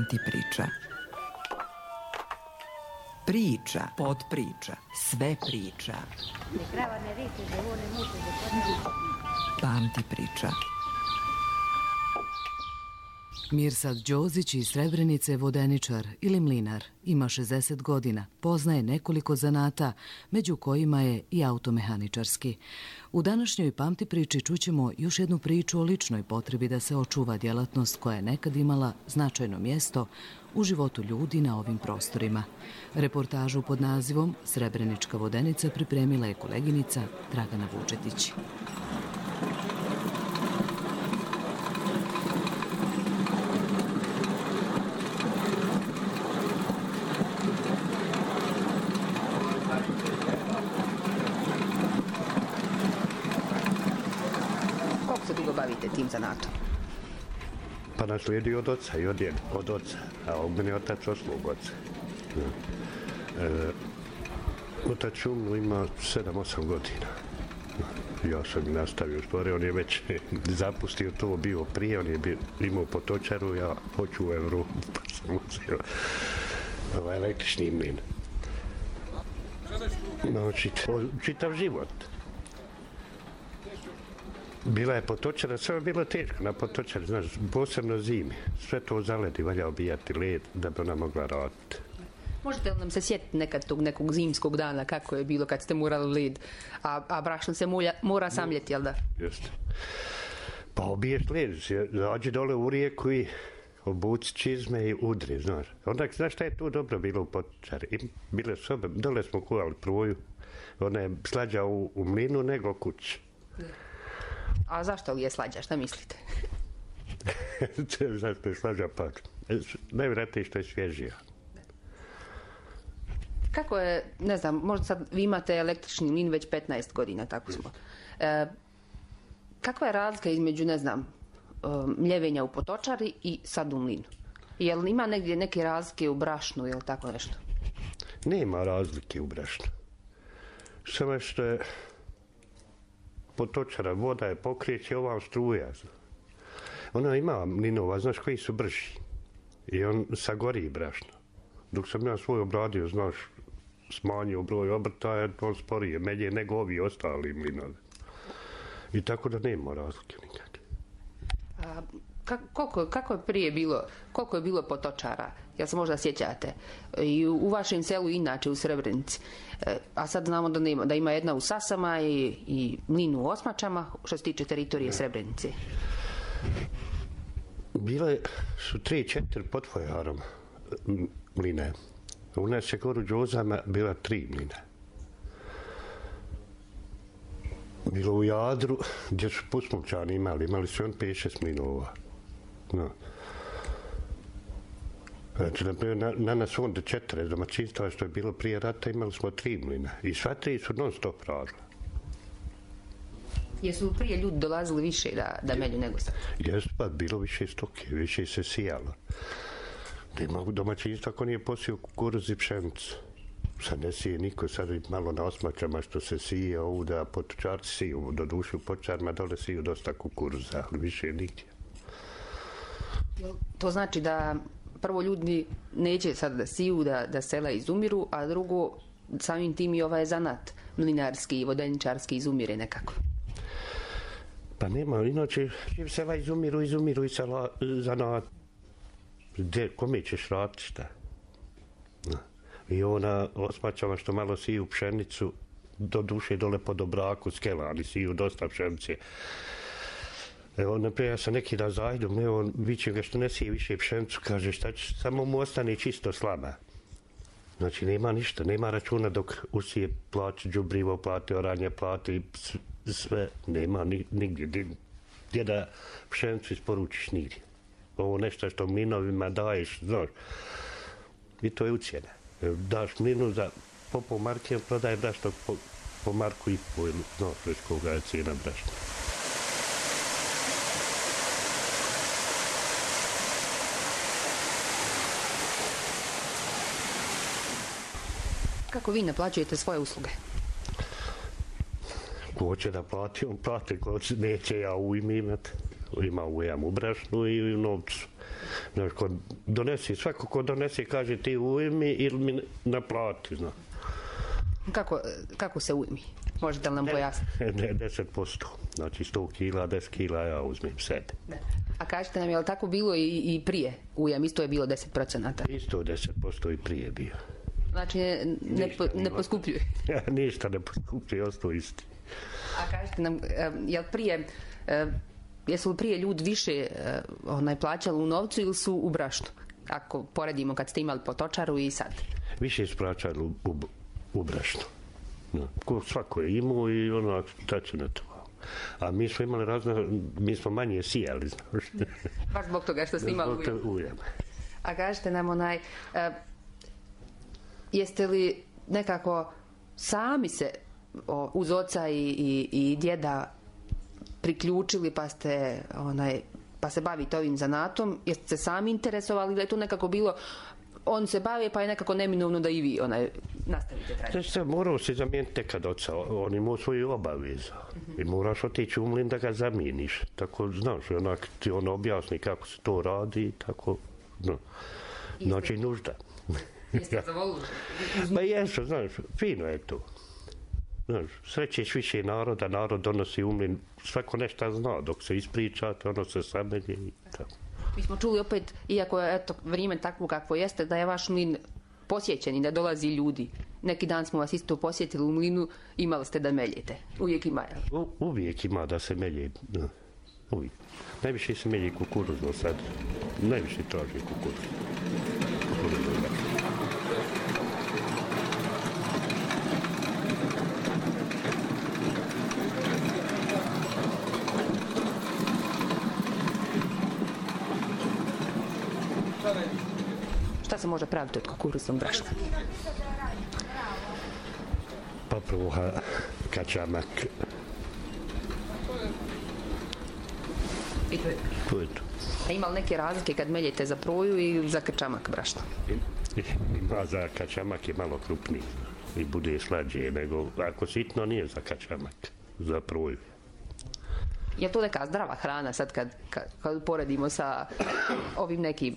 Pamti priča. Priča, podpriča, sve priča. Pamti priča. Mirsad Đozić iz Srebrenice je vodeničar ili mlinar. Ima 60 godina, poznaje nekoliko zanata, među kojima je i automehaničarski. U današnjoj Pamti priči čućemo još jednu priču o ličnoj potrebi da se očuva djelatnost koja je nekad imala značajno mjesto u životu ljudi na ovim prostorima. Reportažu pod nazivom Srebrenička vodenica pripremila je koleginica Dragana Vučetić. Bavite tim zanatom? Pa naslijedio od oca i od oca, a od mene otac oslog oca. Otac umro ima 7-8 godina. Ja sam nastavio stvari, on je već zapustio to, bio prije, on je imao potočaru, ja hoću u Evropu, pa sam uzeo električni mlin. Čitav život. Bila je potočara, sve je bilo teško na potočari, znaš, posebno zimi. Sve to zaledi, valja obijati led da bi ona mogla raditi. Možete li nam se sjetiti nekad tog nekog zimskog dana kako je bilo kad ste morali led, a brašno se mora samljeti, jel da? Jeste. Pa obiješ led, zađi dole u rijeku i obuci čizme i udri, znaš. Onda, znaš šta je tu dobro bilo u potočari? Bile sobe, dole smo kuvali pruju, ona je slađa u mlinu nego kući. A zašto li je slađa, šta mislite? Zašto je slađa pak? Najvjerojatnije što je svježija. Kako je, ne znam, možda sad vi imate električni mlin već 15 godina, tako smo. Kakva je razlika između, ne znam, mljevenja u potočari i sad u mlinu? Jel ima negdje neke razlike u brašnu ili tako nešto? Nema razlike u brašnu. Samo što je potočara, voda je pokreće, ova struja. Ona ima mlinova, znaš, koji su brži. I on sagori brašno. Dok sam ja svoj obradio, znaš, smanjio broj obrtaja, on sporije melje nego ovi ostali mlinovi. I tako da nema razlike nikakve. Kako je prije bilo, koliko je bilo potočara? Jel se možda sjećate? I u vašem selu inače u Srebrenici. A sad znamo da ima jedna u Sasama i mlin u Osmačama, što se tiče teritorije Srebrenice. Bile su 3-4 pod Fojarom mline. U nas je gore u Đozama bila 3 mline. Bilo u Jadru, gdje su Pusmovčani imali su on 5-6 mlinova. No. Znači, na nas onda 4 domaćinstva što je bilo prije rata, imali smo 3 mlina. I sva 3 su non stop radile. Jesu prije ljudi dolazili više da melju nego sad? Jesu, pa bilo više stoke, više se sijalo. Ima domaćinstva ko nije posio kukuruz i pšenicu. Sad ne sije niko, sad malo na Osmačama što se sije, ovuda potočarci siju, do duše u potočarima dole siju dosta kukuruza, ali više nigdje. To znači da prvo ljudi neće sad da siju, da sela izumiru, a drugo, samim tim i ovaj zanat mlinarski i vodeničarski izumire nekako. Pa nema, inače sela izumiru i zanat. Kome ćeš raditi šta? No. I ona Osmačama što malo siju pšenicu, do duše dole po Dobraku, Skelani siju dosta pšenice. Evo, naprijed, ja sam neki dan zajdom, evo, vićem ga što ne sije više pšenicu, kaže šta će, samo mu ostane čisto slama. Znači, nema ništa, nema računa dok usije plaće, đubrivo plate, oranje plate, sve, nema nigdje. Gdje da pšenicu isporučiš nigdje. Ovo nešto što mlinovima daješ, znaš, i to je ucijena. Daš mlinu za po marke, prodaje brašno po marku i po, znaš, već koga je cijena brašna. Kako vi naplaćujete svoje usluge? Ko će da plati, on plati, ko neće, ja u ime imati. Imam u brašnu i u novcu. Znaš, svako ko donese kaže ti ujmi ili mi naplati, znaš. Kako se ujmi? Možete li nam pojasniti? Ne, 10%. Znači 100 kila, 10 kila ja uzmem sebe. A kažete nam, je li tako bilo i prije ujam? Isto je bilo 10%? Isto 10% i prije bio. Znači ne poskupljuje? Ništa ne poskupljuje, ostao isti. A kažete nam, jesu li prije ljudi više plaćali u novcu ili su u brašnu? Ako poredimo kad ste imali potočaru i sad. Više su plaćali u brašnu. No, svako je imao i onak tačno na to. A mi smo imali mi smo manje sijali, znaš. Baš zbog toga što ste imali ujam. A kažete nam jeste li nekako sami se uz oca i djeda priključili pa se bavite ovim zanatom? Jeste se sami interesovali da je to nekako bilo on se bavi pa je nekako neminovno da i vi nastavite tradiciju? Znači, morao se zamijeniti nekad oca, on ima svoju obavezu i moraš otići u mlin da ga zamijeniš. Tako, znaš, onak ti on objasni kako se to radi, tako, no. Znači nužda. Jeste zavolili? Pa jesu, znaš, fino je to. Znaš, srećeš više naroda, narod donosi u mlin, svako nešto zna, dok se ispričate, ono se samelje i tako. Mi smo čuli opet, iako je vrijeme takvo kakvo jeste, da je vaš mlin posjećen i da dolazi ljudi. Neki dan smo vas isto posjetili u mlinu, imali ste da meljete. Uvijek ima, jel? Uvijek ima da se melje. Uvijek. Najviše se melje kukuruzno sad. Najviše traži kukuruz. Šta se može praviti od kukuruznog brašna? Papruha, kačamak. I to je to. A ima li neke razlike kad meljete za proju i za kačamak brašna? Ima za kačamak je malo krupniji i bude slađe, nego ako sitno nije za kačamak, za proju. Je to neka zdrava hrana sad kad poredimo sa ovim nekim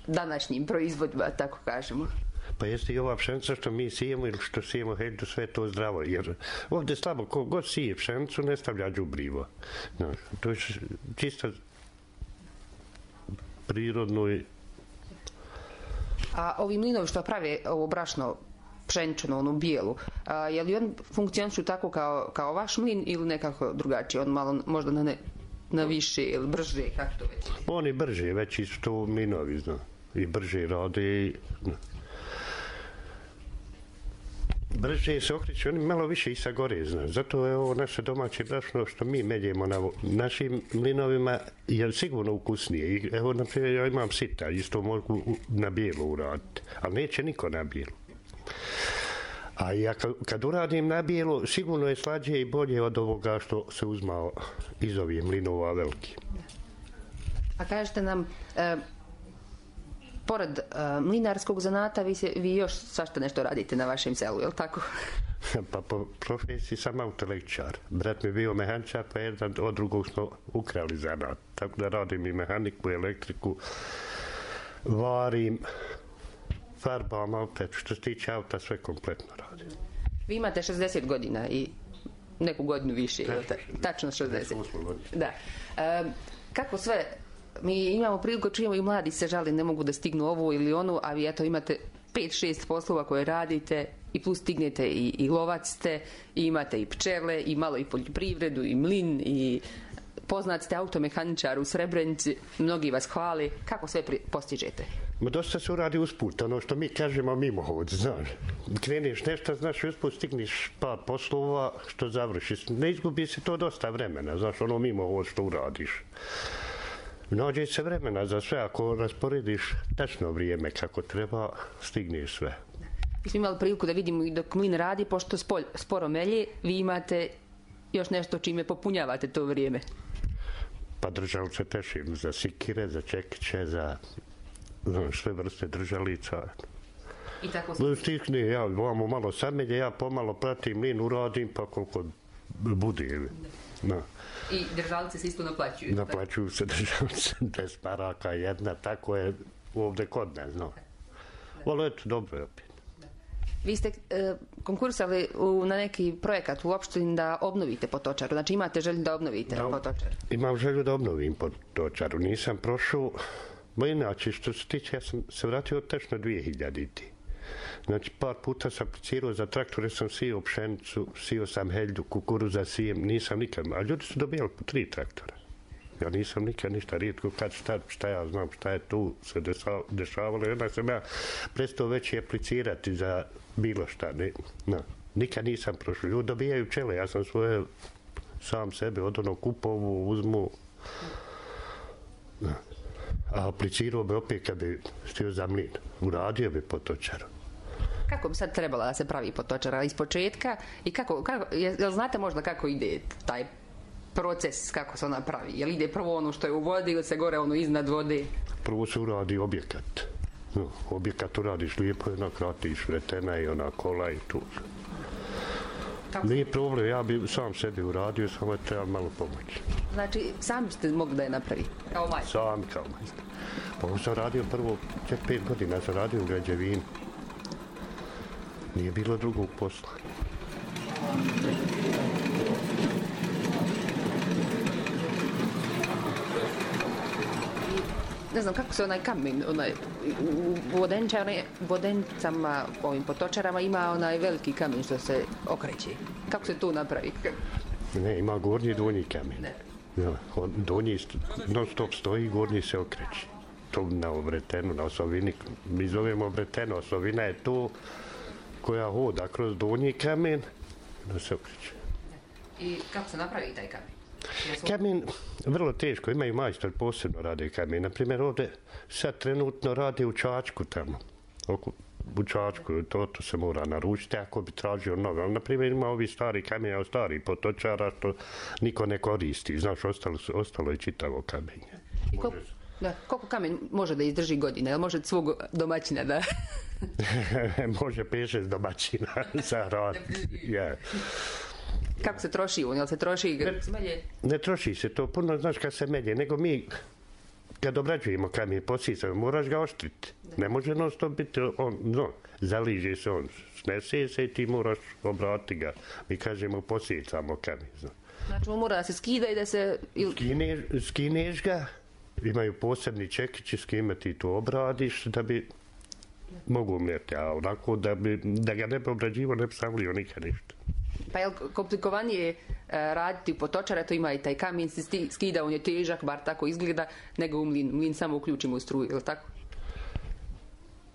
današnjim proizvodima, tako kažemo? Pa jeste i ova pšenica što mi sijemo ili što sijemo heđu, sve to zdravo, jer ovdje slabo, ko god sije pšenicu ne stavlja đubrivo. No, to je čisto prirodno. A ovi mlinovi što prave ovo brašno pšenično, onu bijelu, je li on funkcionišu tako kao vaš mlin ili nekako drugačije? On malo možda na više ili brže, kako to već? Oni brže, veći su to mlinovi, zna. I brže rade. Brže se okreće, oni malo više i sagore, zna. Zato je ovo naše domaće brašno što mi meljemo na našim mlinovima je sigurno ukusnije. Evo, naprimjer, ja imam sita, isto mogu na bijelu uraditi, ali neće niko na bijelu. A ja kad uradim na bijelu, sigurno je slađe i bolje od ovoga što se uzmao iz ovih mlinova veliki. A kažete nam, pored mlinarskog zanata, vi još svašta nešto radite na vašem selu, je li tako? Pa po profesiji sam autoelektričar. Brat mi je bio mehaničar, pa jedan od drugog smo ukrali zanat. Tako da radim i mehaniku, i elektriku, varim, farbam, opet što se tiče auta, sve kompletno radim. Vi imate 60 godina i neku godinu više, tačno 60. Da. Kako sve, mi imamo priliku, čujemo i mladi se žali, ne mogu da stignu ovu ili onu, a vi eto imate 5-6 poslova koje radite i plus stignete i lovac ste, i imate i pčele, i malo i poljoprivredu, i mlin, i poznat ste automehaničar u Srebrenici, mnogi vas hvali. Kako sve postižete? Dosta se uradi usput, ono što mi kažemo mimohod, znaš. Kreneš nešto, znaš, usput stigniš par poslova što završiš. Ne izgubi se to dosta vremena, znaš, ono mimohod što uradiš. Nađe se vremena za sve, ako rasporediš tačno vrijeme kako treba, stigneš sve. Mi smo imali priliku da vidimo i dok mlin radi, pošto sporo melje, vi imate još nešto čime popunjavate to vrijeme. Pa držalice tešim za sikire, za čekiće, za sve vrste držalica. I tako se... Stikne, ja vamo malo samelje, ja pomalo pratim mlin, uradim, pa koliko bude. No. I držalice se isto naplaćuju? Naplaćuju se držalice, 10 maraka jedna, tako je ovdje kod nas, no. Ali eto, dobro je opet. Vi ste konkursali na neki projekat u opštini da obnovite Potočaru, znači imate želju da obnovite Potočaru? Imam želju da obnovim Potočaru, nisam prošao, ma inače što se tiče, ja sam se vratio tečno 2000-ti. Znači, par puta sam aplicirao za traktore, sam sijao pšenicu, sijao sam helju, kukuruza sijem, nisam nikad, a ljudi su dobijali po 3 traktora. Ja nisam nikad ništa, rijetko kad šta ja znam, šta je tu se dešavalo. Onda sam ja prestao već i aplicirati za bilo šta. Nikad nisam prošao. Ljudi dobijaju pčele, ja sam svoje sam sebe od onog kupovu uzmu. A aplicirao bi opet kad bi stio za mlin. Uradio bi Potočaru. Kako bi sad trebala da se pravi Potočara iz početka i jel znate možda kako ide taj proces, kako se ona pravi? Jel ide prvo ono što je u vodi ili se gore ono iznad vode? Prvo se uradi objekat. Objekat uradiš lijepo, jednak ratiš vretena i ona kola i tu. Nije problem, ja bi sam sebi uradio, samo je treba malo pomoći. Znači, sami ste mogli da je napravi? Kao majstor? Sam kao majstor. Pa ovo sam radio prvo, 5 godina sam radio u građevini. Nije bilo drugog posla. Ne znam kako se onaj kamen, u Vodenicama, ovim Potočarama ima onaj veliki kamen što se okreće. Kako se to napravi? Ne, ima gornji i donji kamen. Ja, donji non stop stoji, gornji se okreće. To na obretenu, na osovini, mi zovemo obretenu, osovina je to koja hoda kroz donji kamen, da se okreće. I kako se napravi taj kamen? Kamen, vrlo teško, imaju majstor posebno rade kamen. Naprimjer, ovdje sad trenutno rade u Čačku tamo. U Čačku, to se mora naručiti ako bi tražio nove. Ali, naprimjer, ima ovi stari kamen, stari Potočara, što niko ne koristi. Znaš, ostalo je čitavo kamenje. Koliko kamen može da izdrži godine? Jel može svog domaćina da... Može 5-6 domaćina za rad. Yeah. Kako se troši on? Jel se troši melje? Ne troši se to puno, znaš kad se melje, nego mi kad obrađujemo kamen, posisamo, moraš ga oštriti. Ne može non stop biti, zaliže se on, snese se i ti moraš obratiti ga. Mi kažemo posicamo kamen. Znači on mora da se skida i da se... Skineš ga, imaju posebni čekići s kime ti to obradiš da bi mogu umjeti, a onako da ga ne bi obrađivo, ne bi stavlio nikad ništa. Pa je li komplikovanije raditi u Potočara, to ima i taj kamen, se skida, on je težak, bar tako izgleda, nego u mlin. Mlin samo uključimo u struju, je li tako?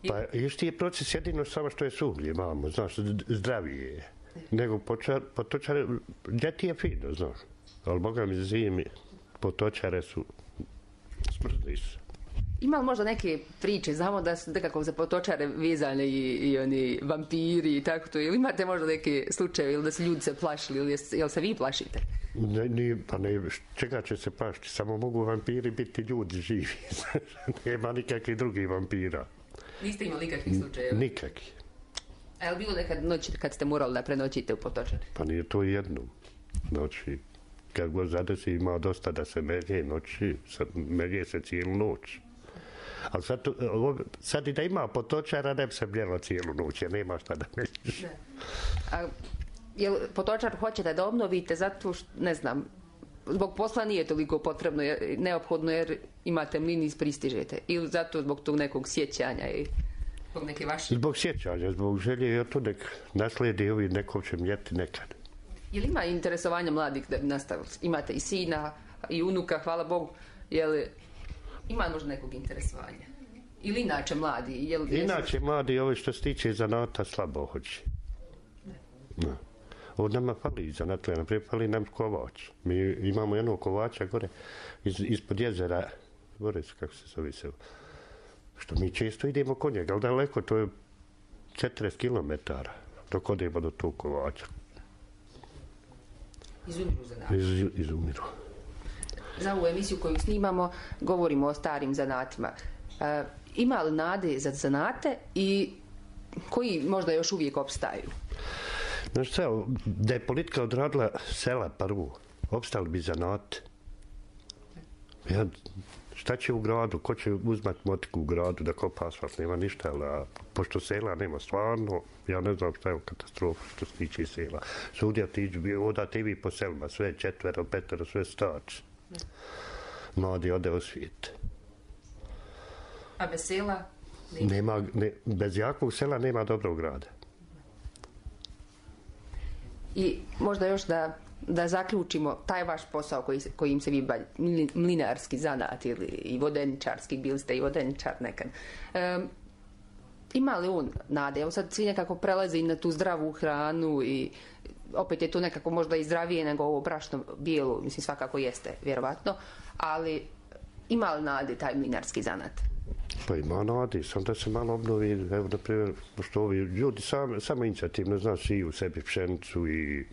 Pa isti je proces jedino samo što je suhlje, mamo, znaš, zdravije je. Nego Potočare, ljeti je fino, znaš, ali boga mi zimi, Potočare su smrzli su. Ima li možda neke priče, znamo da su nekako za Potočare vezane i oni vampiri i tako to, ili imate možda neke slučaje ili da su ljudi se plašili, ili jel se vi plašite? Pa ne, čega će se plašiti, samo mogu vampiri biti ljudi živi, nema nikakvih drugih vampira. Niste imali nikakvih slučajeva? Nikakvih. A je li bilo nekad noći kad ste morali da prenoćite u Potočari? Pa nije to jednom noći. Kad god zadesi ima dosta da se melje noći, melje se cijelu noć. Ali sad i da ima Potočara, ne bi se mljelo cijelu noć, jer nema šta da melješ. A jel Potočar hoćete da obnovite zato što, ne znam, zbog posla nije toliko potrebno, neophodno jer imate mlin i pristižete? Ili zato zbog tog nekog sjećanja i zbog neke vaše... Zbog sjećanja, zbog želje, jer to nek nasledi ovi nekom će mljeti nekad. Je li ima interesovanja mladih da bi nastavili? Imate i sina i unuka, hvala Bogu. Je li ima možda nekog interesovanja? Ili inače mladi? Inače mladi, ovo što se tiče zanata, slabo hoće. Od nama fali zanat, naprijed fali nam kovač. Mi imamo jednog kovača gore, ispod jezera, gore kako se zove se, što mi često idemo kod njega, ali daleko, to je 40 km dok odemo do tog kovača. Izumiru zanata? Izumiru. Za ovu emisiju koju snimamo govorimo o starim zanatima. Ima li nade za zanate i koji možda još uvijek opstaju? Znaš šta, da je politika odradila sela prvu, opstali bi zanat. Ja, šta će u gradu? Ko će uzmat motiku u gradu da kopa asfalt? Nema ništa, ali pošto sela nema stvarno, ja ne znam šta je u katastrofu što se tiče sela. Sudja tiđu, odate i vi po selima, sve 4, 5, sve starci. Mladi ode u svijet. A bez sela? Bez jakog sela nema dobrog grada. I možda još da zaključimo taj vaš posao kojim se vi bavite, mlinarski zanat ili i vodeničarski, bili ste i vodeničar nekad. Ima li on nade? Evo sad svi nekako prelaze i na tu zdravu hranu i opet je to nekako možda i zdravije nego ovo brašno bijelo, mislim svakako jeste, vjerovatno, ali ima li nade taj mlinarski zanat? Pa ima nade, sam da se malo obnovi, evo na primjer, pošto ovi ljudi samo inicijativno, znaš, i u sebi pšenicu i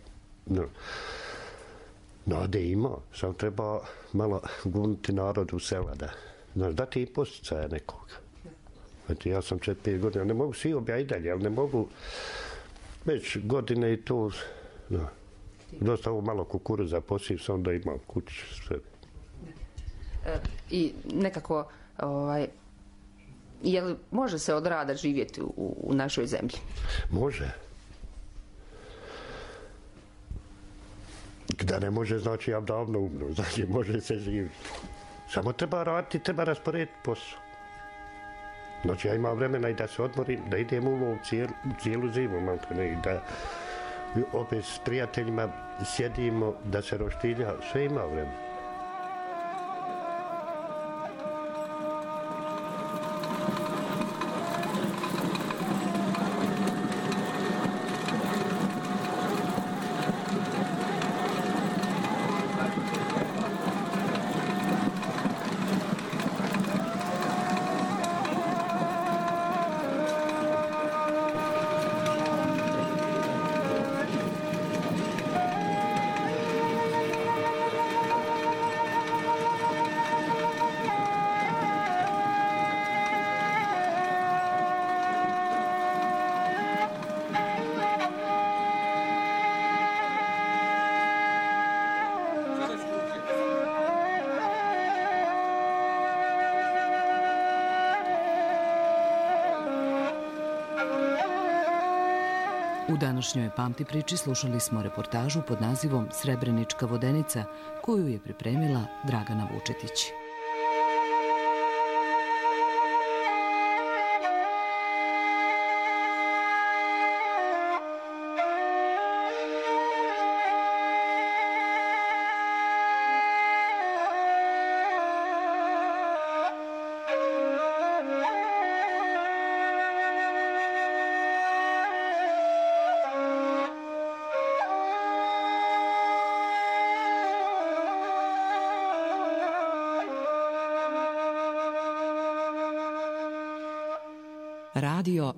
nade ima, sam treba malo guniti narod u sela, da, znaš, dati i posticaja nekoga. Znači, ja sam 4-5 godina, ne mogu svi obja i dalje, ali ne mogu već godine i to, dosta ovo malo kukuruza posiv sam da imam kući sve. I nekako, jel može se od rada živjeti u našoj zemlji? Može. Da ne može, znači ja davno umro, znači može se živjeti. Samo treba raditi, treba rasporediti posao. Znači ja imam vremena i da se odmorim, da idem u lov cijelu zimu, i da opet s prijateljima sjedimo, da se roštilja, sve ima vremena. U današnjoj Pamti priči slušali smo reportažu pod nazivom Srebrenička vodenica, koju je pripremila Dragana Vučetić. Radio